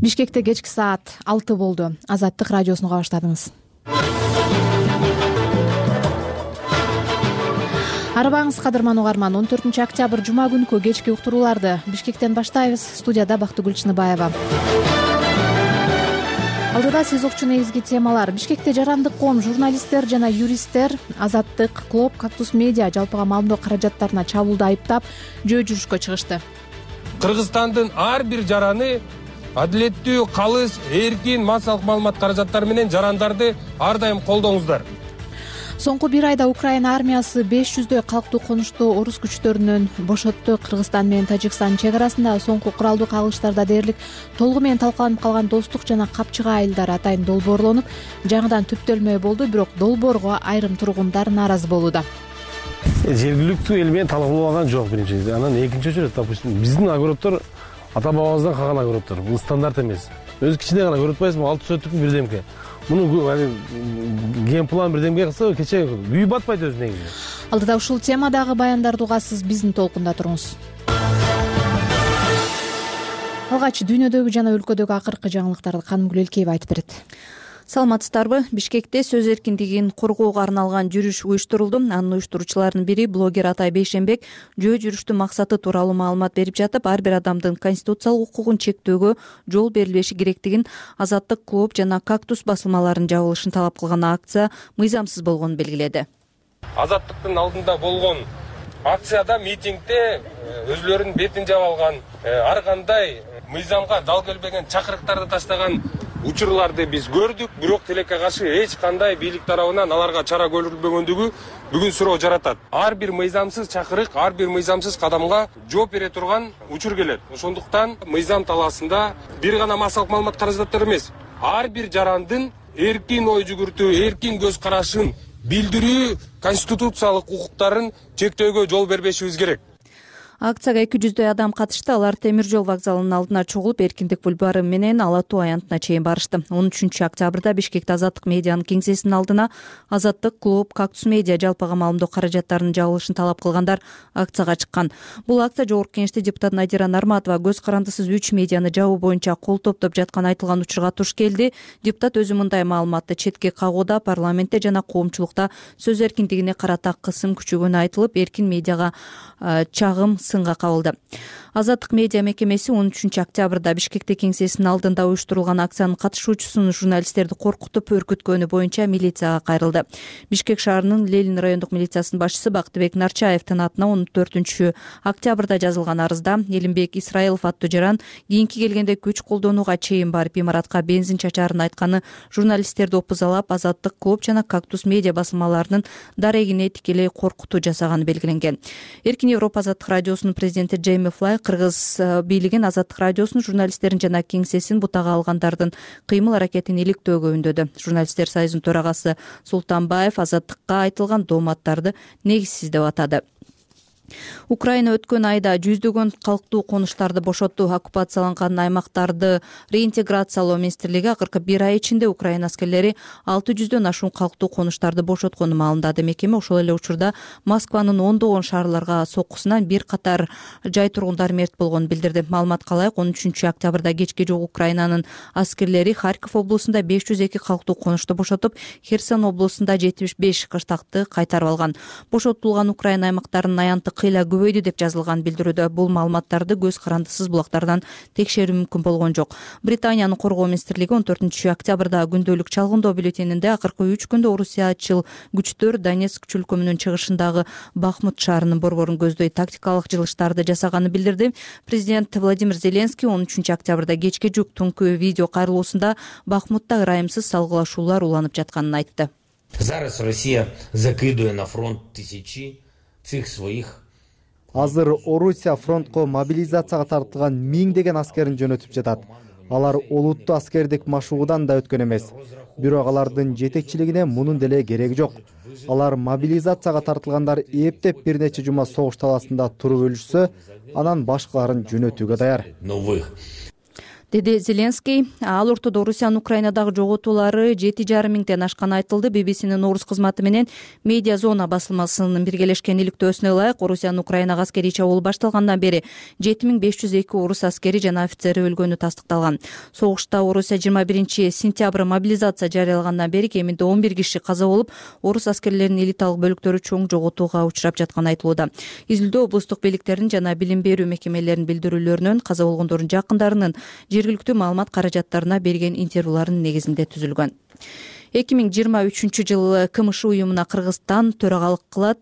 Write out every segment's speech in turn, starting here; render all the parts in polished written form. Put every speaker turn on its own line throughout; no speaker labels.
Бишкекте кечки саат 6 болду. Азаттык радиосуну уга баштадыңыз. Арыбаңыз кадырман угарман. 14 октябрь жума күнкү кечки уктурууларды Бишкектен баштайбыз. Студияда Бактыгүл Чыныбаева. Алдыда сиз укчу негизги темалар. Бишкекте жарандык коом, журналисттер жана юристтер Азаттык, Клоп, Кактус Медиа жалпыга маалымдоо каражаттарына чабуулду айыптап, жөө жүрүшкө чыгышты.
Кыргызстандын ар бир жараны адилеттүү, калыс, эркин массалык маалымат каражаттары менен жарандарды ар дайым колдоңуздар.
Соңку бир айда Украина армиясы 500дөй калктуу конушту орус күчтөрүнөн бошотту. Кыргызстан менен Тажикстан чек арасында соңку куралдуу кагылыштарда дээрлик толугу менен талкаланып калган достук жана Капчыга айылдары атайын долбоорлонуп, жаңыдан түптөлмө болду, бирок долбоорго айрым тургундар нааразы болууда.
Жергиликтүү эл менен талкууланган жок биринчи. Анан экинчи очередь, допустим, биздин огороддор ата бабабыздан калган огороддор. Бул стандарт эмес. Өзү кичине гана көрүп атпайсызбы, 6 сөттүк бирдемке. Муну ген план бирдемге кылса кече күйүп батпайт өзү негизи.
Алдыда ушул темадагы баяндарды угасыз, биздин толкунда туруңуз. Алгач дүйнөдөгү жана өлкөдөгү акыркы жаңылыктарды Канымгүл Элкеева айтып берет.
Саламатсыздарбы? Бишкекте сөз эркиндигин коргоого арналган жүрүш уюштурулду. Анын уюштуруучуларынын бири блогер Атай Бейшенбек жөө жүрүштүн максаты тууралуу маалымат берип жатып, ар бир адамдын конституциялык укугун чектөөгө жол берилбеши керектигин, Азаттык, Клоп жана Кактус басылмаларынын жабылышын талап кылган акция мыйзамсыз болгонун белгиледи.
Азаттыктын алдында болгон акцияда, митингде өзүлөрүнүн бетин жаап алган, ар кандай мыйзамга дал келбеген чакырыктарды таштаган учурларды биз көрдүк, бирок тилекке каршы эч кандай бийлик тарабынан аларга чара көрүлбөгөндүгү бүгүн суроо жаратат. Ар бир мыйзамсыз чакырык, ар бир мыйзамсыз кадамга жооп бере турган учур келет. Ошондуктан мыйзам талаасында бир гана массалык маалымат каражаттары эмес, ар бир жарандын эркин ой жүгүртүү, эркин көз карашын билдирүү, конституциялык укуктарын чектөөгө жол бербешибиз керек.
Акцияга 200дөй адам катышты. Алар темир жол вокзалынын алдына чогулуп, Эркиндик бульвары менен Ала Тоо аянтына чейин барышты. 13 октябрда Бишкекте Азаттык медианын кеңсесинин алдына Азаттык, Клоп, Кактус Медиа жалпыга маалымдоо каражаттарынын жабылышын талап кылгандар акцияга чыккан. Бул акция Жогорку Кеңеште депутат Надира Нарматова көз карандысыз 3 медианы жабуу боюнча кол топтоп жаткан айтылган учурга туш келди. Депутат өзү мындай маалыматты четке кагууда, парламентте жана коомчулукта сөз эркиндигине карата кысым күчөгөнү айтылып, эркин медиага чагым сынга кабылды. Азаттык медиа мекемеси 13 октябрда Бишкекте кеңсесинин алдында уюштурулган акциянын катышуучусунун журналисттерди коркутуп өркүткөнү боюнча милицияга кайрылды. Бишкек шаарынын Ленин райондук милициясынын башчысы Бактыбек Нарчаевдин атына 14 октябрда жазылган арызда Элимбек Исраилов аттуу жаран кийинки келгенде күч колдонууга чейин барып имаратка бензин чачаарын айтканы журналисттерди опузалап, Азаттык, Клоп жана Кактус медиа басылмаларынын дарегине тикелей коркутуу жасаганы белгиленген. Эркин Европа Азаттык радиосунун президенти Джейми Флай Кыргыз бийлигин, Азаттык радиосунун журналисттерин жана кеңсесин бутага алгандардын кыймыл аракетин иликтөөгө үндөдү. Журналисттер союзунун төрагасы Султанбаев Азаттыкка айтылган дооматтарды негизсиз деп атады. Украина өткөн айда жүздөгөн калктуу конуштарды бошотту. Оккупацияланган аймактарды реинтеграциялоо министрлиги акыркы бир ай ичинде Украина аскерлери 600дөн ашуун калктуу конуштарды бошотконун маалымдады. Мекеме ошол эле учурда Москванын ондогон шаарларга соккусунан бир катар жай тургундары мерт болгонун билдирди. Маалыматка ылайык, 13 октябрда кечке жок Украинанын аскерлери Харьков облусунда 502 калктуу конушту бошотуп, Херсон облусунда 75 кыштакты кайтарып алган. Бошотулган Украина аймактарынын аянты кыйла көбөйдү деп жазылган билдирүүдө. Бул маалыматтарды көз карандысыз булактардан текшерүү мүмкүн болгон жок. Британиянын коргоо министрлиги 14 октябрда күндөлүк чалгындоо бюллетенинде акыркы 3 күндө орусиячыл күчтөр Донецк чөлкөмүнүн чыгышындагы Бахмут шаарынын борборун көздөй тактикалык жылыштарды жасаганын билдирди. Президент Владимир Зеленский 13 октябрда кечке жүк түнкү видео кайрылуусунда Бахмутта ырайымсыз салгылашуулар уланып жатканын айтты.
Зараз Россия закидывает на фронт тысячи цих своих.
Азыр Орусия фронтко мобилизацияга тартылган миңдеген аскерин жөнөтүп жатат. Алар олуттуу аскердик машыгуудан да өткөн эмес. Бирок алардын жетекчилигине мунун деле кереги жок. Алар мобилизацияга тартылгандар эптеп бир нече жума согуш талаасында туруп өлүшсө, анан башкаларын жөнөтүүгө даяр.
деди Зеленский. Ал ортодо Орусиянын Украинадагы жоготуулары 7,5 миңден ашканы айтылды. BBC'нин орус кызматы менен Медиа Зона басылмасынын биргелешкен иликтөөсүнө ылайык, Орусиянын Украинага аскерий чабуул башталгандан бери 7502 орус аскери жана офицери өлгөнү тастыкталган. Согушта Орусия 21 сентябрь мобилизация жарыялагандан бери кеминде 11 киши каза болуп, орус аскерлеринин элиталык бөлүктөрү чоң жоготууга учурап жатканы айтылууда. Изилдөө облустук бийликтердин жана билим берүү мекемелеринин билдирүүлөрүнөн каза болгондордун жакындарынын жергиликтүү маалымат каражаттарына берген интервьюларынын негизинде түзүлгөн. 2023-жылы КМШ уюмуна Кыргызстан төрагалык кылат.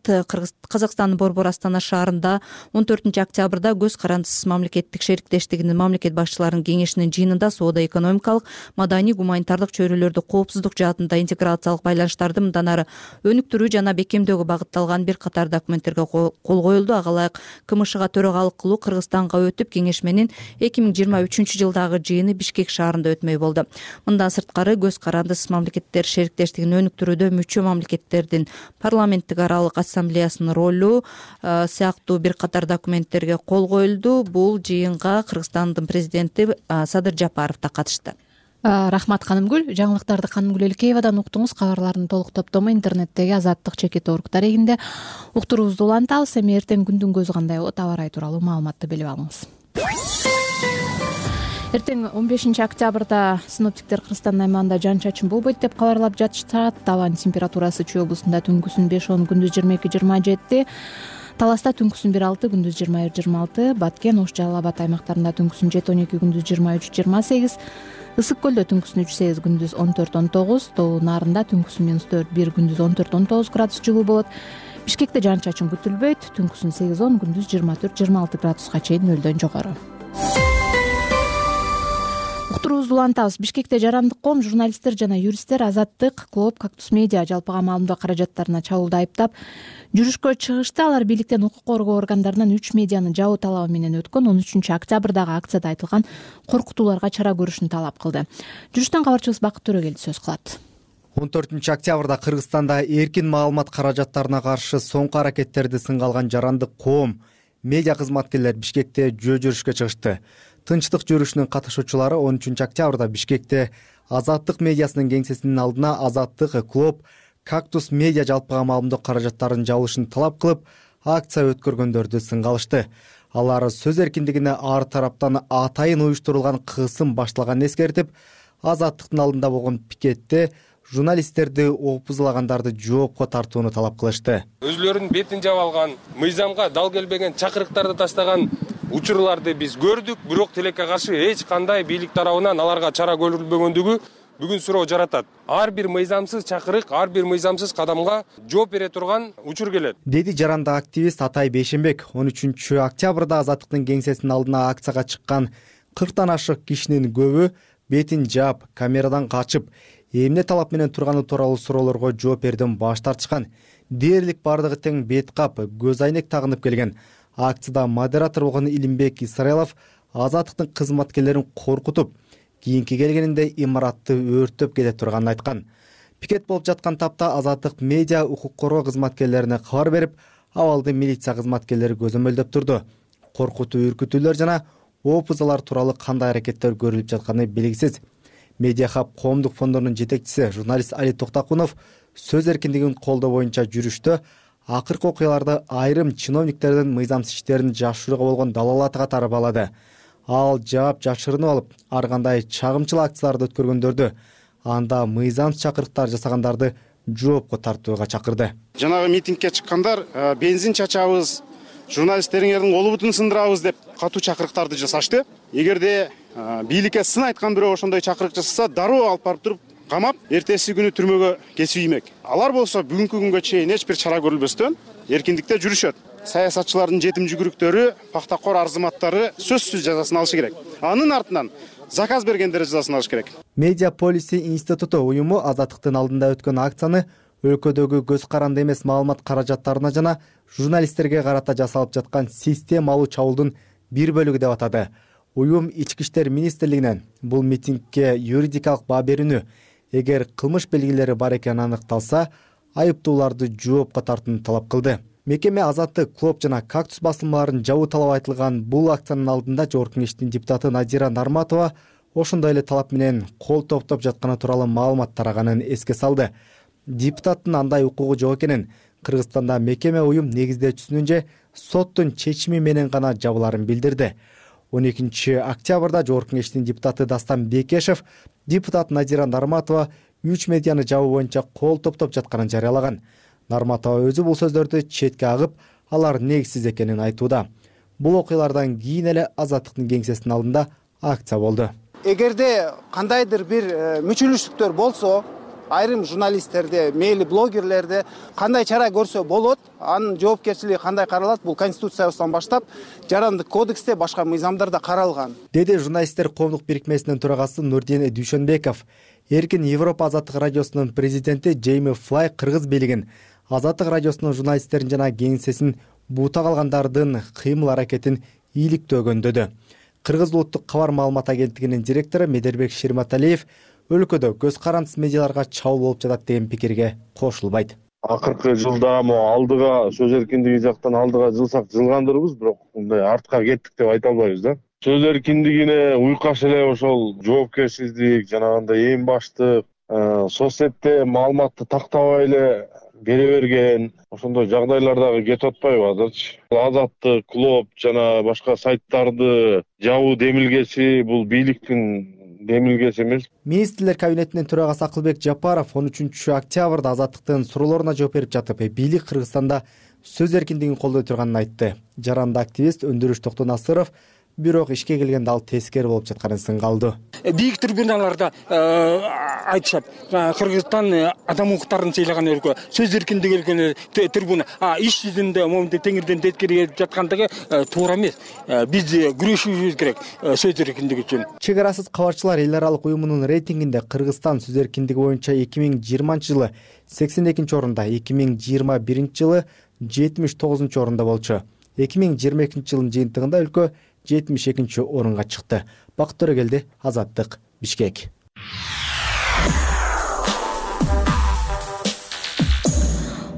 Казакстандын Борбор Астана шаарында 14 октябрда көз карандысыз мамлекеттик шериктештигинин мамлекет башчыларынын кеңешинин жыйынында соода-экономикалык, маданий, гуманитардык чөйрөлөрдө коопсуздук жаатында интеграциялык байланыштарды мындан ары өнүктүрүү жана бекемдөөгө багытталган бир катар документтерге кол коюлду. Ага ылайык КМШга төрагалык кылуу Кыргызстанга өтүп, кеңешменин 2023-жылдагы жыйыны Бишкек шаарында өтмөй болду. Мындан сырткары көз карандысыз мамлекеттер шериктештигин өнүктүрүүдө мүчө мамлекеттердин парламенттик аралык ассамблеясынын ролу сыяктуу бир катар документтерге кол коюлду. Бул жыйынга Кыргызстандын президенти Садыр Жапаров да катышты.
Рахмат Канымгүл. Жаңылыктарды Канымгүл Элкеевадан уктуңуз. Кабарлардын толук топтому интернеттеги Азаттык.org дарегинде уктуруубузду улантабыз. Эми эртең күндүн көзү кандай болот, аба ырайы тууралуу маалыматты билип алыңыз. Эртең 15 октябрда синоптиктер Кыргызстандын аймагында жаан-чачын болбойт деп кабарлап жатышат. Табан температурасы Чүй облусунда түнкүсүн 5-10, күндүз 22-27, Таласта түнкүсүн 1-6, күндүз 21-26, Баткен, Ош, Жалал Абад аймактарында түнкүсүн 7-12, күндүз 23-28, Ысык көлдө түнкүсүн 3-8, күндүз 14-19, Тоо Нарында түнкүсүн -4-1, күндүз 14-19 градус жылуу болот. Бишкекте жаан-чачын күтүлбөйт, түнкүсүн 8-10, күндүз 24-26 градуска чейин нөлдөн жогору. Уктуруубузду улантабыз. Бишкекте жарандык коом, журналисттер жана юристтер Азаттык, Клооп, Кактус Медиа жалпыга маалымдоо каражаттарына чабуулду айыптап жүрүшкө чыгышты. Алар бийликтен укук коргоо органдарынан 3 медианы жабуу талабы менен өткөн 13 октябрдагы акцияда айтылган коркутууларга чара көрүшүн талап кылды. Жүрүштөн кабарчыбыз Бакыт Төрөгелди сөз кылат.
14 октябрда Кыргызстанда эркин маалымат каражаттарына каршы соңку аракеттерди сынга алган жарандык коом, медиа кызматкерлер Бишкекте жөө жүрүшкө чыгышты. Тынчтык жүрүшүнүн катышуучулары 13 октябрда Бишкекте Азаттык медиасынын кеңсесинин алдына Азаттык, Клооп, Кактус Медиа жалпыга маалымдоо каражаттарынын жабылышын талап кылып, акция өткөргөндөрдү сынга алышты. Алар сөз эркиндигине ар тараптан атайын уюштурулган кысым башталганын эскертип, Азаттыктын алдында болгон пикетте журналисттерди опузулагандарды жоопко тартууну талап кылышты.
Өзлөрүнүн бетин жаап алган, мыйзамга дал келбеген чакырыктарды тастаган учурларды биз көрдүк, бирок тилекке каршы эч кандай бийлик тарабынан аларга чара көрүлбөгөндүгү бүгүн суроо жаратат. Ар бир мыйзамсыз чакырык, ар бир мыйзамсыз кадамга жооп бере турган учур келет,
деди жарандык активист Атай Бейшенбек. 13 октябрда Азаттыктын кеңсесинин алдына акцияга чыккан 40тан ашык кишинин көбү бетин жаап, камерадан качып, эмне талап менен турганы тууралуу суроолорго жооп берүүдөн баш тартышкан. Дээрлик бардыгы тең бет кап, көз айнек тагынып келген. Акцияда модератор болгон Илимбек Исраилов Азаттыктын кызматкерлерин коркутуп, кийинки келгенинде имаратты өрттөп кете турганын айткан. Пикет болуп жаткан тапта Азаттык Медиа укук коргоо кызматкерлерине кабар берип, абалды милиция кызматкерлери көзөмөлдөп турду. Коркутуу, үркүтүүлөр жана опузалар тууралуу кандай аракеттер көрүлүп жатканы белгисиз. Медиа Хаб коомдук фондунун жетекчиси журналист Али Токтакунов сөз эркиндигин колдоо боюнча жүрүштө акыркы окуяларды айрым чиновниктердин мыйзамсыз иштерин жашырууга болгон далалаты катары баалады. Ал жаап жашырынып алып, ар кандай чагымчыл акцияларды өткөргөндөрдү, анда мыйзамсыз чакырыктар жасагандарды жоопко тартууга чакырды.
Жанагы митингке чыккандар бензин чачабыз, журналисттериңердин колу бутун сындырабыз деп катуу чакырыктарды жасашты. Эгерде бийликке сын айткан бирөө ошондой чакырык жасаса, дароо алып барып туруп камап, эртеси күнү түрмөгө кесип иймек. Алар болсо бүгүнкү күнгө чейин эч бир чара көрүлбөстөн эркиндикте жүрүшөт. Саясатчылардын жетим жүгүрүктөрү, пактакор арзыматтары сөзсүз жазасын алышы керек. Анын артынан заказ бергендер жазасын алыш керек.
Медиа Policy институту уюму Азаттыктын алдында өткөн акцияны өлкөдөгү көз каранды эмес маалымат каражаттарына жана журналисттерге карата жасалып жаткан системалуу чабуулдун бир бөлүгү деп атады. Уюм Ички иштер министрлигинен бул митингге юридикалык баа берүүнү, эгер кылмыш белгилери бар экени аныкталса, айыптууларды жоопко тартууну талап кылды. Мекеме Азаттык, Клооп жана Кактус басылмаларын жабуу талабы айтылган бул акциянын алдында Жогорку кеңештин депутаты Надира Нарматова ошондой эле талап менен кол топтоп жатканы тууралуу маалымат тараганын эске салды. Депутаттын андай укугу жок экенин, Кыргызстанда мекеме уюм негиздөөчүсүнүн же соттун чечими менен гана жабыларын билдирди. 12 октябрда Жогорку Кеңештин депутаты Дастан Бекешев депутат Назира Нарматова 3 медианы жабуу боюнча кол топтоп жатканын жарыялаган. Нарматова өзү бул сөздөрдү четке агып, алар негизсиз экенин айтууда. Бул окуялардан кийин эле Азаттыктын кеңсесинин алдында акция болду.
Эгерде кандайдыр бир мүчүлүштүктөр болсо, айрым журналисттерде, мейли блогерлерде кандай чара көрсө болот, анын жоопкерчилиги кандай каралат? Бул конституциябыздан баштап жарандык кодексте, башка мыйзамдарда каралган,
деди журналисттер коомдук бирикмесинин төрагасы Нурдин Дүйшөнбеков. Эркин Европа Азаттык радиосунун президенти Джейми Флай кыргыз бийлигин, Азаттык радиосунун журналисттерин жана кеңсесин буута калгандардын кыймыл аракетин ийгиликтүү өгөндөдү. Кыргыз улуттук кабар маалымат агенттигинин директору Медербек Ширматалиев өлкөдө көз карандысыз медиаларга чабуул болуп жатат деген пикирге кошулбайт.
Акыркы жылда алдыга сөз эркиндиги жактан алдыга жылсак жылгандырбыз, бирок мындай артка кеттик деп айта албайбыз да. Сөз эркиндигине уйкаш эле ошол жоопкерсиздик, жанагындай эң баштык соцсетте маалыматты тактабай эле бере берген, ошондой жагдайлар дагы кетип атпайбы азырчы. Азаттык, Клоп жана башка сайттарды жабуу демилгеси бул бийликтин демилгеси эмес.
Министрлер кабинетинин төрагасы Акылбек Жапаров 13 октябрда Азаттыктын суроолоруна жооп берип жатып, бийлик Кыргызстанда сөз эркиндигин колдой турганын айтты. Жаранды активист Өндүрүш Токтонасыров бирок ишке келгенде ал тескери болуп жатканын сынга алды.
Бийик трибуналарда айтышат, Кыргызстан адам укуктарын сыйлаган өлкө, сөз эркиндиги өлкө трибуна. Иш жүзүндө момундай теңирден теткери жаткандыгы туура эмес. Биз күрөшүшүбүз керек сөз эркиндиги үчүн.
Чек арасыз кабарчылар эл аралык уюмунун рейтингинде Кыргызстан сөз эркиндиги боюнча 2020-жылы 82-орунда, 2021-жылы 79-орунда болчу. 2022-жылдын жыйынтыгында өлкө 72-орунга чыкты. Бакыт Төрөгелди, Азаттык, Бишкек.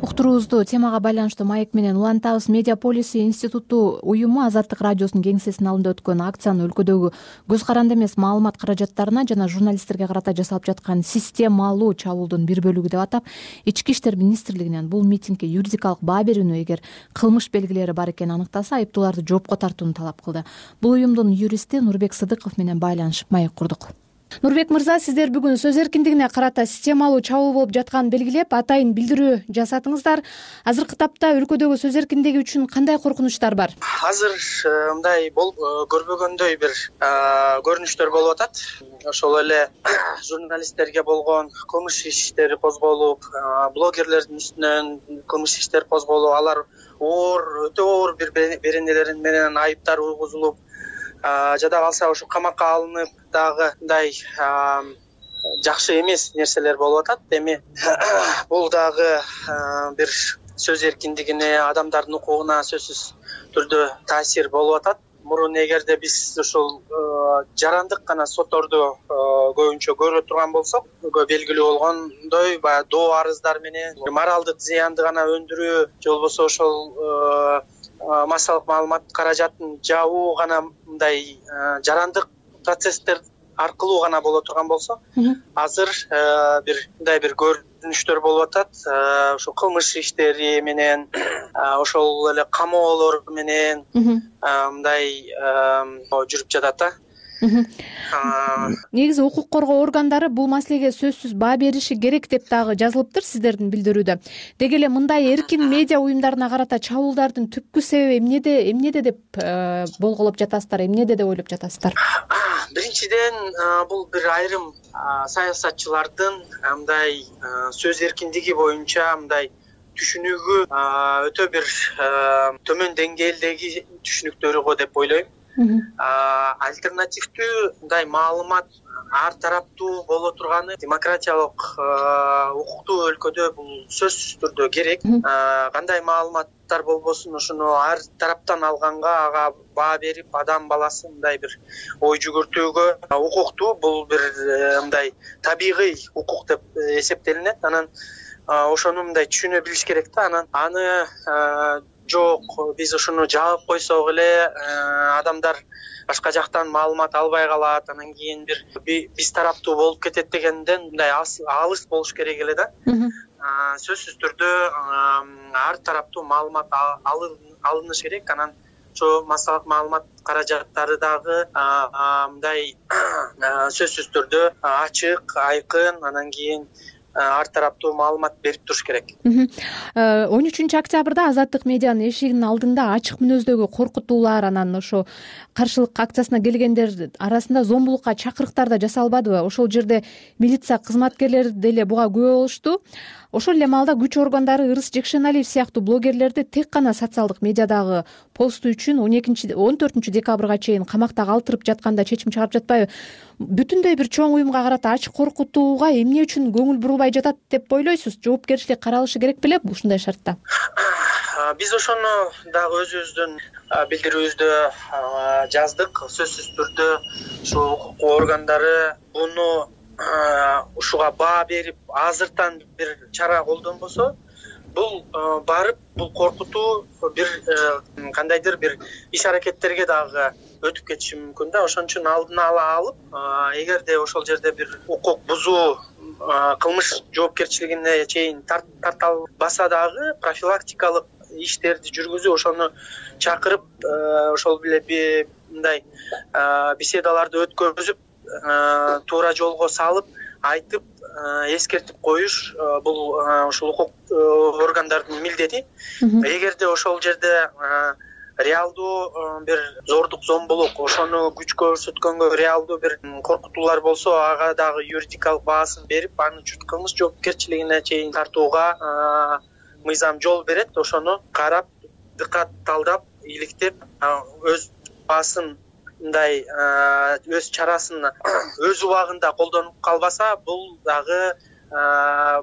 Уктуруубузду темага байланыштуу маек менен улантабыз. Медиаполиси институту уюму Азаттык радиосунун кеңсесинин алдында өткөн акцияны өлкөдөгү көз каранды эмес маалымат каражаттарына жана журналисттерге карата жасалып жаткан системалуу чабуулдун бир бөлүгү деп атап, Ички иштер министрлигинен бул митингге юридикалык баа берүүнү, эгер кылмыш белгилери бар экенин аныктаса, айыптууларды жоопко тартууну талап кылды. Бул уюмдун юристи Нурбек Сыдыков менен байланышып маек курдук. Нурбек мырза, сиздер бүгүн сөз эркиндигине карата системалуу чабуул болуп жатканын белгилеп, атайын билдирүү жасадыңыздар. Азыркы тапта өлкөдөгү сөз эркиндиги үчүн кандай коркунучтар бар?
Азыр мындай болуп көрбөгөндөй бир көрүнүштөр болуп атат. Ошол эле журналисттерге болгон кылмыш иштери козголуп, блогерлердин үстүнөн кылмыш иштер козголуп, алар өтө оор бир беренелер менен айыптар уйгузулуп, жада калса ошо камакка алынып дагы мындай жакшы эмес нерселер болуп атат. Эми бул дагы бир сөз эркиндигине, адамдардын укугуна сөзсүз түрдө таасир болуп атат. Мурун эгерде биз ушул жарандык гана сотторду көбүнчө көрө турган болсок, белгилүү болгондой баягы доо арыздар менен моралдык зыянды гана өндүрүү же болбосо ошол массалык маалымат каражатын жабуу гана мындай жарандык процесстер аркылуу гана боло турган болсо, азыр мындай бир көрүнүштөр болуп атат. Ошо кылмыш иштери менен, ошол эле камоолор менен мындай жүрүп жатат да.
Негизи укук коргоо органдары бул маселеге сөзсүз баа бериши керек деп дагы жазылыптыр сиздердин билдирүүдө. Деги эле мындай эркин медиа уюмдарына карата чабуулдардын түпкү себеби эмнеде деп болголоп жатасыздар, эмнеде деп ойлоп жатасыздар?
Биринчиден, бул бир айрым саясатчылардын мындай сөз эркиндиги боюнча мындай түшүнүгү өтө бир төмөн деңгээлдеги түшүнүктөрү го деп ойлойм. Альтернативдүү мындай маалымат ар тараптуу боло турганы демократиялык укуктуу өлкөдө бул сөзсүз түрдө керек. Кандай маалыматтар болбосун, ошону ар тараптан алганга, ага баа берип, адам баласы мындай бир ой жүгүртүүгө укуктуу, бул бир мындай табигый укук деп эсептелинет. Анан ошону мындай түшүнө билиш керек да. Анан аны жок, биз ушуну жаап койсок эле адамдар башка жактан маалымат албай калат, анан кийин бир биз тараптуу болуп кетет дегенден мындай алыс болуш керек эле да. Сөзсүз түрдө ар тараптуу маалымат алыныш керек. Анан ошо массалык маалымат каражаттары дагы мындай сөзсүз түрдө ачык, айкын, анан кийин ар тараптуу маалымат берип туруш керек.
13-октябрда Азаттык медианын эшигинин алдында ачык мүнөздөгү коркутуулар, анан ошо каршылык акциясына келгендер арасында зомбулукка чакырыктар да жасалбадыбы? Ошол жерде милиция кызматкерлери деле буга күбө болушту. Ошол эле маалда күч органдары Ырыс Жекшеналиев сыяктуу блогерлерди тек гана социалдык медиадагы посту үчүн 14 декабрга чейин камакта калтырып жатканда чечим чыгарып жатпайбы? Бүтүндөй бир чоң уюмга карата ачык коркутууга эмне үчүн көңүл бурулбай жатат деп ойлойсуз? Жоопкерчилик каралышы керек беле ушундай шартта?
Биз ошону дагы өзүбүздүн билдирүүбүздө жаздык. Сөзсүз түрдө ушу укук органдары буну ушуга баа берип азыртан бир чара колдонбосо, бул барып бул коркутуу бир кандайдыр бир иш аракеттерге дагы өтүп кетиши мүмкүн да. Ошон үчүн алдын ала алып, эгерде ошол жерде бир укук бузуу кылмыш жоопкерчилигине чейин тарталбаса дагы профилактикалык иштерди жүргүзүп, ошону чакырып, ошол эле мындай беседаларды өткөзүп, туура жолго салып, айтып, эскертип коюш бул ушул укук органдардын милдети. Эгерде ошол жерде реалдуу бир зордук, зомбулук, ошону күч көрсөткөнгө реалдуу бир коркутуулар болсо, ага дагы юридикалык баасын берип, аны кылмыш жоопкерчилигине чейин тартууга мыйзам жол берет. Ошону карап, дыкатталдап, иликтеп, өз баасын мындай өз чарасын өз убагында колдонуп калбаса, бул дагы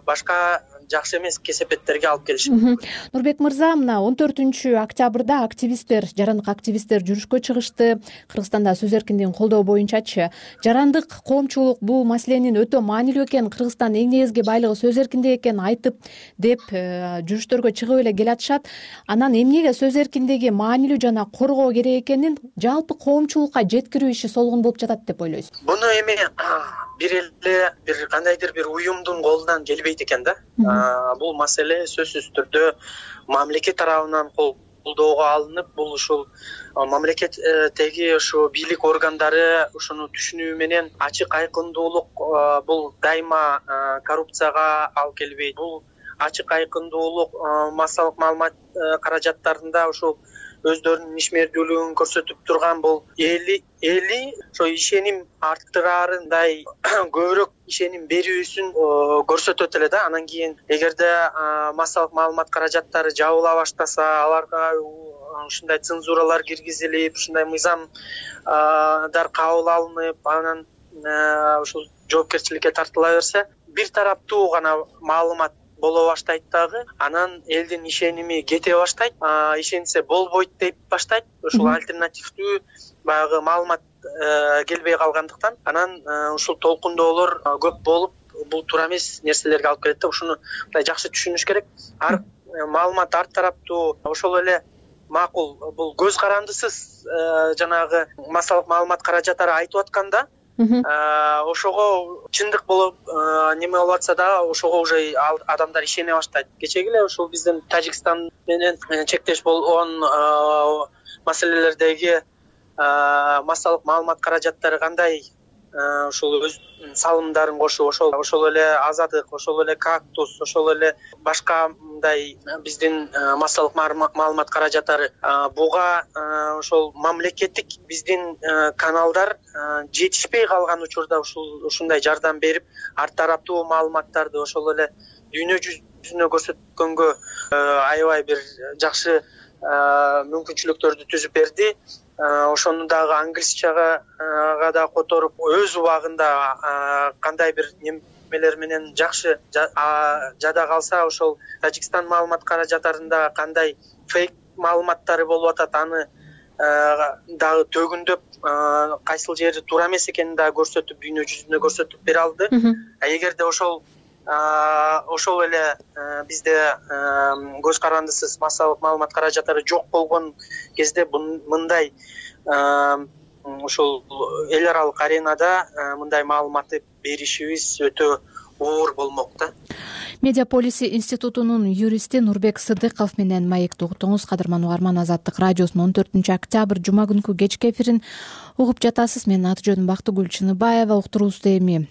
башка жакшы эмес кесепеттерге алып келиши мүмкүн.
Нурбек мырза, мына 14-октябрда активисттер, жарандык активисттер жүрүшкө чыгышты. Кыргызстанда сөз эркиндигин колдоо боюнчачы. Жарандык коомчулук бул маселенин өтө маанилүү экенин, Кыргызстандын эң негизги байлыгы сөз эркиндиги экенин айтып деп жүрүштөргө чыгып эле келатышат. Анан эмнеге сөз эркиндиги маанилүү жана коргоо керек экенин жалпы коомчулукка жеткирүү иши солгун болуп жатат деп ойлойсуз?
Буну эми бир эле бир кандайдыр бир уюмдун колунан келбейт экен да. Бул маселе сөзсүз түрдө мамлекет тарабынан колдоого алынып, бул ушул мамлекеттеги ушу бийлик органдары ушуну түшүнүү менен ачык айкындуулук бул дайыма коррупцияга алып келбейт. Бул ачык айкындуулук массалык маалымат каражаттарында ушул өздөрүнүн ишмердүүлүгүн көрсөтүп турган бул эли ошо ишеним арттыраарындай көбүрөөк ишеним берүүсүн көрсөтөт эле да. Анан кийин эгерде массалык маалымат каражаттары жабыла баштаса, аларга ушундай цензуралар киргизилип, ушундай мыйзамдар кабыл алынып, анан ушул жоопкерчиликке тартыла берсе, бир тараптуу гана маалымат боло баштайт дагы, анан элдин ишеними кете баштайт, ишенсе болбойт деп баштайт. Ушул альтернативдүү баягы маалымат келбей калгандыктан, анан ушул толкундоолор көп болуп, бул туура эмес нерселерге алып келет да. Ушуну мындай жакшы түшүнүш керек. Ар маалымат ар тараптуу, ошол эле макул, бул көз карандысыз жанагы массалык маалымат каражаттары айтып атканда, ошого чындык болуп неме болуп атса да, ошого уже адамдар ишене баштайт. Кечеги эле ушул биздин Тажикстан менен чектеш болгон маселелердеги массалык маалымат каражаттары кандай ушул өз салымдарын кошуп, ошол эле Азаттык, ошол эле Кактус, ошол эле башка мындай биздин массалык маалымат каражаттары буга ошол мамлекеттик биздин каналдар жетишпей калган учурда ушундай жардам берип, ар тараптуу маалыматтарды ошол эле дүйнө жүзүнө көрсөткөнгө аябай бир жакшы мүмкүнчүлүктөрдү түзүп берди. Ошону дагы англисчага да которуп, өз убагында кандай бир немелер менен жакшы жада калса, ошол Тажикстан маалымат каражаттарында кандай фейк маалыматтары болуп атат, аны дагы төгүндөп, кайсыл жери туура эмес экенин дагы көрсөтүп, дүйнө жүзүнө көрсөтүп бере алды. Эгерде ошол эле бизде көз карандысыз массалык маалымат каражаттары жок болгон кезде мындай ушул эл аралык аренада мындай маалыматты беришибиз өтө оор болмок да.
Медиаполиси институтунун юристи Нурбек Сыдыков менен маекти угуттуңуз. Кадырман угарман, Азаттык радиосунун 14-октябрь жума күнкү кечки эфирин угуп жатасыз. Менин аты жөнүм Бактыгүл Чыныбаева. Уктуруубузду эми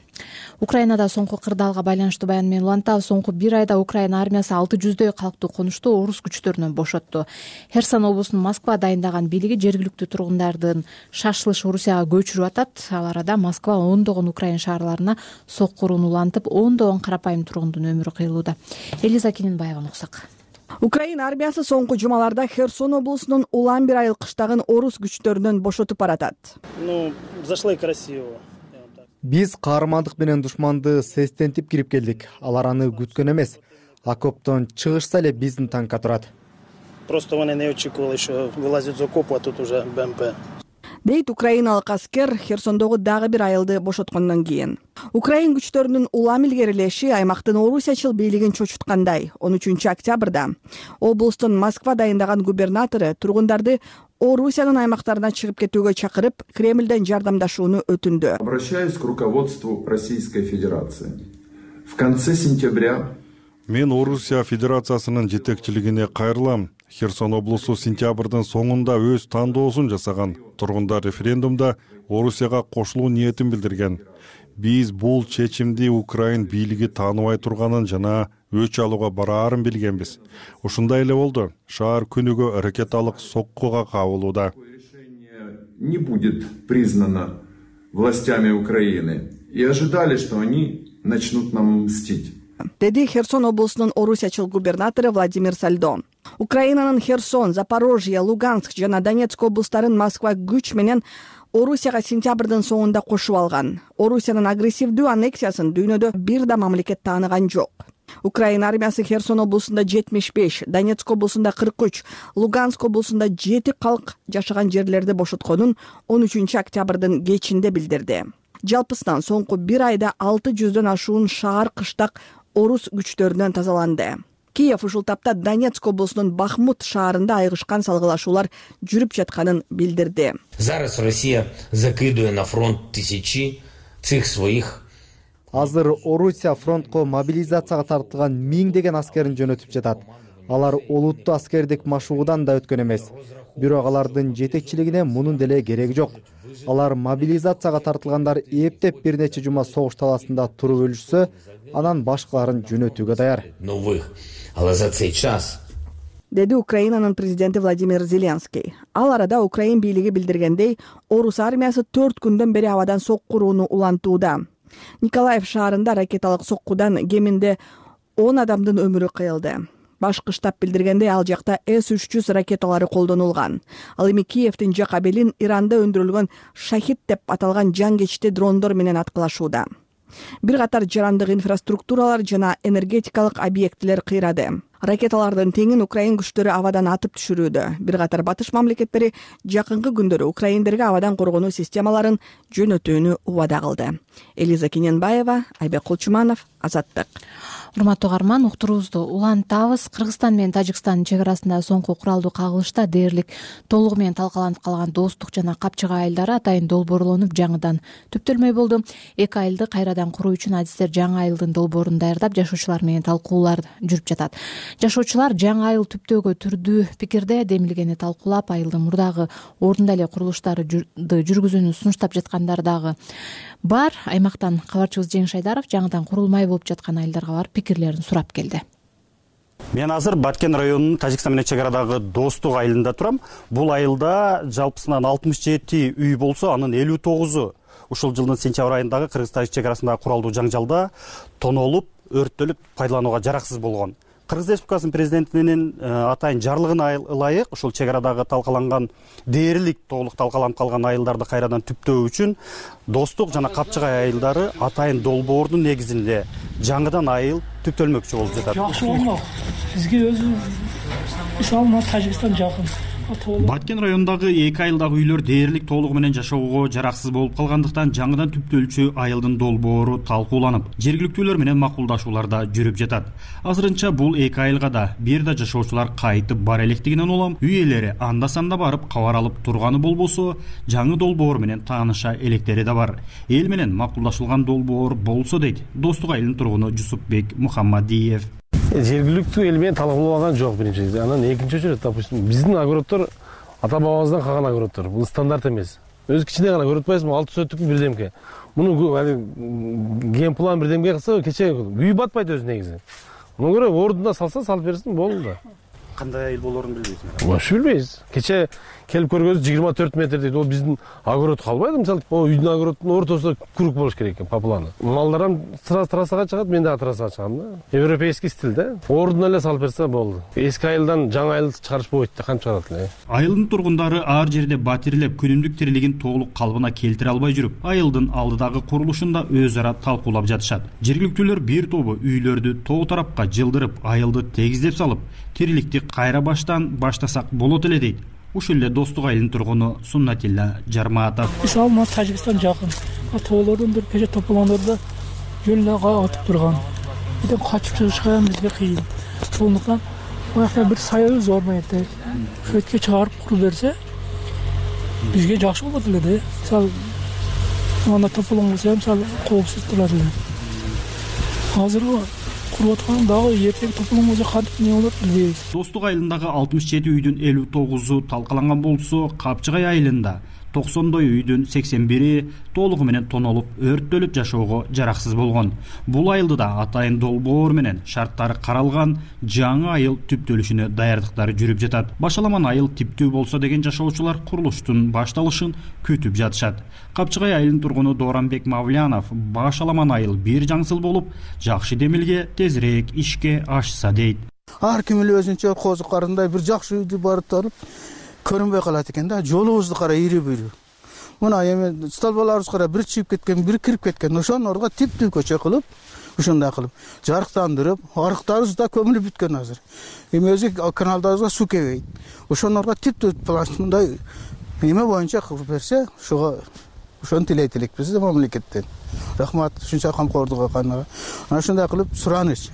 Украинада соңку кырдаалга байланыштуу баян менен улантабыз. Соңку бир айда Украина армиясы 600дөй калктуу конушту орус күчтөрүнөн бошотту. Херсон облусунун Москва дайындаган бийлиги жергиликтүү тургундардын шашылыш Орусияга көчүрүп атат. Ал арада Москва ондогон Украин шаарларына соккурууну улантып, ондогон карапайым тургундун өмүрү кыйылууда. Элиза Кининбаеваны уксак.
Украина армиясы соңку жумаларда Херсон облусунун улам бир айыл кыштагын орус күчтөрүнөн бошотуп баратат.
Зашло и красиво.
Биз каармандык менен душманды сестентип кирип келдик. Алар аны күткөн эмес. Окоптон чыгышса эле биздин танкка турат.
Просто он не очекувал, еще вылазит из окопа, а тут уже БМП.
Дейт украиналык аскер Херсондогу дагы бир айылды бошоткондон кийин. Украин күчтөрүнүн улам илгерилеши аймактын орусячыл бийлигин чочуткандай. 13-октябрда облустун Москва дайындаган губернатору тургундарды Орусиянын аймактарына чыгып кетүүгө чакырып, Кремлден жардамдашууну өтүндү.
Обращаюсь к руководству Российской Федерации. В конце сентября
мен Орусия Федерациясынын жетекчилигине кайрылам. Херсон облусу сентябрдын соңунда өз тандоосун жасаган. Тургундар референдумда Орусияга кошулуу ниетин билдирген. Биз бул чечимди Украин бийлиги тааныбай турганын жана өч алууга бараарын билгенбиз. Ушундай эле болду. Шаар күнүгө ракеталык соккуга кабылууда.
Не будет признано властями Украины и ожидали, что они начнут нам мстить.
Деди Херсон облусунун орусячыл губернатору Владимир Сальдо. Украинанын Херсон, Запорожье, Луганск жана Донецк облустарын Москва күч менен Орусияга сентябрдын соңунда кошуп алган. Орусиянын агрессивдүү аннексиясын дүйнөдө бир да мамлекет тааныган жок. Украина армиясы Херсон облусунда 75, Донецк облусунда 43, Луганск облусунда 7 калк жашаган жерлерди бошотконун 13-октябрдын кечинде билдирди. Жалпысынан соңку бир айда 600дөн ашуун шаар кыштак орус күчтөрүнөн тазаланды. Киев ушул тапта Донецк облусунун Бахмут шаарында айгышкан салгылашуулар жүрүп жатканын билдирди.
Зараз Россия закидывая на фронт тысячи цих своих.
Азыр Орусия фронтко мобилизацияга тартылган миңдеген аскерин жөнөтүп жатат. Алар олуттуу аскердик машыгуудан да өткөн эмес. Бирок алардын жетекчилигине мунун деле кереги жок. Алар мобилизацияга тартылгандар эптеп бир нече жума согуш таласында туруп өлүшсө, анан башкаларын жөнөтүүгө даяр.
Деди Украинанын президенти Владимир Зеленский. Ал арада Украин бийлиги билдиргендей, орус армиясы 4 күндөн бери абадан соккурууну улантууда. Николаев шаарында ракеталык соккудан кеминде 10 адамдын өмүрү кыйылды. Башкы штаб билдиргендей, ал жакта С-300 ракеталары колдонулган. Ал эми Киевдин Жакабелин Иранда өндүрүлгөн Шахид деп аталган жангечти дрондор менен аткылашууда. Бир катар жарандык инфраструктуралар жана энергетикалык объектилер кыйрады. Ракеталардын теңин Украин күчтөрү абадан атып түшүрүүдө. Бир катар батыш мамлекеттери жакынкы күндөрү украиндерге абадан коргонуу системаларын жөнөтүүнү убада кылды. Элиза Кининбаева, Айбек Кулчуманов, Азаттык.
Урматтуу угарман, уктуруубузду улантабыз. Кыргызстан менен Тажикстандын чек арасында соңку куралдуу кагылышта дээрлик толугу менен талкаланып калган достук жана капчыга айылдары атайын долбоорлонуп жаңыдан түптөлмөй болду. Эки айылды кайрадан куруу үчүн адистер жаңы айылдын долбоорун даярдап, жашоочулар менен талкуулар жүрүп жатат. Жашоочулар жаңы айыл түптөөгө түрдүү пикирде, демилгени талкуулап, айылдын мурдагы ордунда эле курулуштарды жүргүзүүнү сунуштап жаткандар дагы бар. Аймактан кабарчыбыз Жеңиш Айдаров жаңыдан курулмай болуп жаткан айылдарга барып пикирлерин сурап келди.
Мен азыр Баткен районунун Тажикстан менен чек арадагы Достук айылында турам. Бул айылда жалпысынан 67 үй болсо, анын 59-у ушул жылдын сентябрь айындагы Кыргыз-Тажик чек арасындагы куралдуу жаңжалда тонолуп, өрттөлүп, пайдаланууга жараксыз болгон. Кыргыз Республикасынын президентинин атайын жарлыгына ылайык ушул чек арадагы талкаланган дээрлик толук талкаланып калган айылдарды кайрадан түптөө үчүн Достук жана Капчыгай айылдары атайын долбоордун негизинде жаңыдан айыл түптөлмөкчү болуп жатат.
Жакшы болмок. Бизге өзү мисалы Тажикстан жакын.
Баткен районундагы 2 айылдагы үйлөр дээрлик толугу менен жашоого жараксыз болуп калгандыктан жаңыдан түптөлчү айылдын долбоору талкууланып, жергиликтүүлөр менен макулдашууларда жүрүп жатат. Азырынча бул 2 айылга да бир да жашоочулар кайтып бара электигинен улам үй ээлери анда-санда барып кабар алып турганы болбосо, жаңы долбоор менен тааныша электери да бар. Эл менен макулдашылган долбоор болсо дейт Достук айылынын тургуну Жусупбек Мухаммадиев.
Жергиликтүү эл менен талкууланган жок биринчи. Анан экинчи очередь, допустим, биздин огороддор ата бабабыздан калган огороддор. Бул стандарт эмес. Өзү кичине гана көрүп атпайсызбы? 6 сөттүк бирдемке. Муну ген план бирдемке кылса, кече үй батпайт өзү негизи. Муну көрө ордуна салса, салып берсин, болду да.
Кандай айыл болоорун билбейсиз?
Вообще билбейбиз. Кече келип көргөнбүз 24 метр дейт. Ол биздин огород калбайт, мисалы, үйдүн огородунун ортосунда круг болуш керек экен, по плану. Малдарым трассага чыгат, мен дагы трассага чыгам да. Европейский стиль да. Ордуна эле салып берсе болду. Эски айылдан жаңы айыл чыгарыш болбойт да, кантип чыгарат эле.
Айылдын тургундары ар жерде батирлеп, күнүмдүк тирилигин толук калыбына келтире албай жүрүп, айылдын алдыдагы курулушунда өз ара талкуулап жатышат. Жергиликтүүлөр бир тобу үйлөрдү тоо тарапка жылдырып, айылды тегиздеп салып, тириликти кайра баштан баштасак болот эле дейт. Ушул эле Достук айылынын тургуну Суннатилла Жармаатов.
Мисалы, мына Тажикстан жакын. Тоолордун бир кече тополоңдордо жөн эле атып турган. Бирден качып чыгышка бизге кыйын. Ошондуктан буякта бир саябыз бар экен. Шөткө чыгарып куруп берсе, бизге жакшы болот эле да. Мисалы, мына тополоң болсо, мисалы, коопсуз турат эле. Азыр куруп аткан дагы эртең тополоң болсо кантип эмне болот билбейбиз.
Достук айылындагы 67 үйдүн 59-у талкаланган болсо, Капчыгай айылында 90 үйдүн 81-и толугу менен тонолуп, өрттөлүп жашоого жараксыз болгон. Бул айылды да атайын долбоор менен шарттары каралган жаңы айыл түптөлүшүнө даярдыктары жүрүп жатат. Башаламан айыл типтүү болсо деген жашоочулар курулуштун башталышын күтүп жатышат. Капчыгай айылынын тургуну Дооранбек Мавлянов башаламан айыл бир жаңсыл болуп, жакшы демилге тезирээк ишке ашса дейт.
Ар ким эле өзүнчө козукарындай бир жакшы үйдү барып туруп көрүнбөй калат экен да. Жолубузду кара, ири-бири. Мына эми столбаларыбыз кара, бир чыгып кеткен, бир кирип кеткен. Ошонун ордуна типтүү көчө кылып, ушундай кылып, жарыктандырып, арыктарыбыз да көмүлүп бүткөн азыр. Эми өзү каналдарыбызга суу келбейт. Ошонун ордуна типтүү мындай эме боюнча кылып берсе, ошону тилейт элекпиз да мамлекеттен. Рахмат, ушунча камкордук кылганга. Ana ушундай кылып сураныч.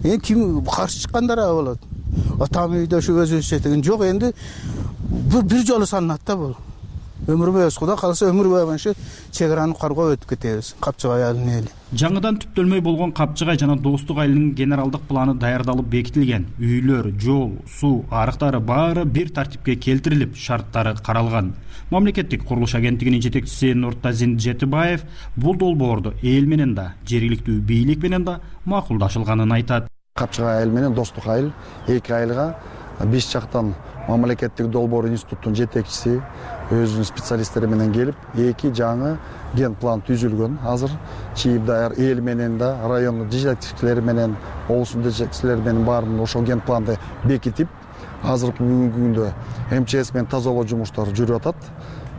Эми ким каршы чыккандар болот. Атам үйдө ушу өзүнчө деген жок, энди бир жолу салынат да бул. Өмүр бою Кудай кааласа өмүр бою ошо чек араны каргоо өтүп кетебиз. Капчыгай айылынын эли.
Жаңыдан түптөлмөй болгон Капчыгай жана Достук айылынын генералдык планы даярдалып бекитилген. Үйлөр, жол, суу, арыктары баары бир тартипке келтирилип, шарттары каралган. Мамлекеттик курулуш агенттигинин жетекчиси Нуртазин Жетибаев бул долбоорду эл менен да, жергиликтүү бийлик менен да макулдашылганын айтат.
Капчыгай айыл менен Достук айыл 2 айылга биз жактан мамлекеттик долбоор институттун жетекчиси өзүнүн специалисттери менен келип, 2 жаңы ген план түзүлгөн. Азыр чийип даяр эл менен да, райондун жетекчилери менен, облустун жетекчилери менен баарын ошол ген планды бекитип, азыркы бүгүнкү күндө МЧС менен тазалоо жумуштары жүрүп атат.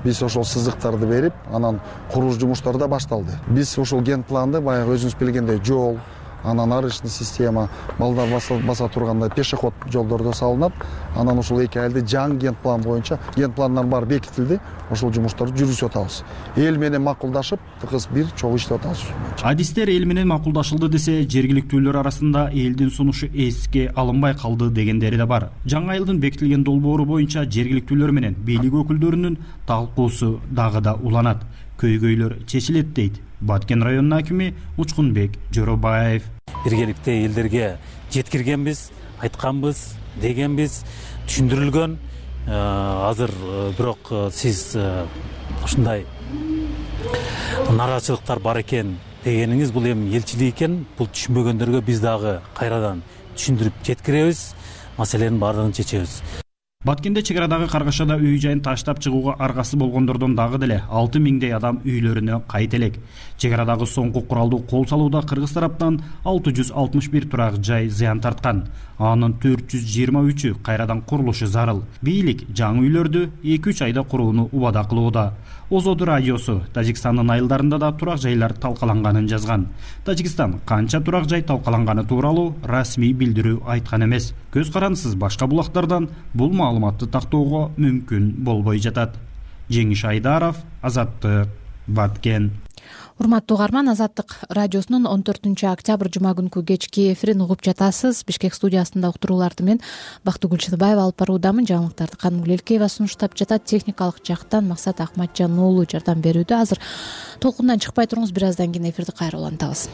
Биз ошол сызыктарды берип, анан курулуш жумуштары да башталды. Биз ошол ген планды баягы өзүңүз билгендей жол, анан арычный система, балдар баса тургандай пешеход жолдордо салынат. Анан ошол 2 айылды жаңы ген план боюнча, ген пландар баары бекитилди. Ошол жумуштарды жүргүзүп атабыз. Эл менен макулдашып, тыгыз бир чогуу иштеп атабыз.
Адистер эл менен макулдашылды десе, жергиликтүүлөр арасында элдин сунушу эске алынбай калды дегендери да бар. Жаңы айылдын бекитилген долбоору боюнча жергиликтүүлөр менен бийлик өкүлдөрүнүн талкуусу дагы да уланат. Көйгөйлөр чечилет дейт Баткен районунун акими Учкунбек Жоробаев.
Биргеликте элдерге жеткиргенбиз, айтканбыз, дегенбиз, түшүндүрүлгөн. Азыр бирок сиз ушундай нараачылыктар бар экен дегениңиз бул эми элчилик экен. Бул түшүнбөгөндөргө биз дагы кайрадан түшүндүрүп жеткиребиз, маселенин баардыгын чечебиз.
Баткенде чек арадагы каргашада үй жайын таштап чыгууга аргасы болгондордон дагы деле 6000 адам үйлөрүнө кайт элек. Чек арадагы соңку куралдуу кол салууда кыргыз тараптан 661 турак жай зыян тарткан. Анын 423-ү кайрадан курулушу зарыл. Бийлик жаңы үйлөрдү 2-3 айда курууну убада кылууда. Озоду радиосу Тажикстандын айылдарында да турак жайлар талкаланганын жазган. Тажикстан канча турак жай талкаланганы тууралуу расмий билдирүү айткан эмес. Көз карандысыз башка булактардан бул
маалыматты тактоого мүмкүн болбой жатат. Жеңиш Айдаров, Азаттык, Баткен.
Урматтуу угарман, Азаттык радиосунун 14 октябрь жума күнкү кечки эфирин угуп жатасыз. Бишкек студиясында уктурууларды мен Бактыгүл Чыныбаева алып баруудамын. Жаңылыктарды Канымгүл Элкеева сунуштап жатат. Техникалык жактан Максат Акматжан уулу жардам берүүдө. Азыр толкундан чыкпай туруңуз, бир аздан кийин эфирди кайра улантабыз.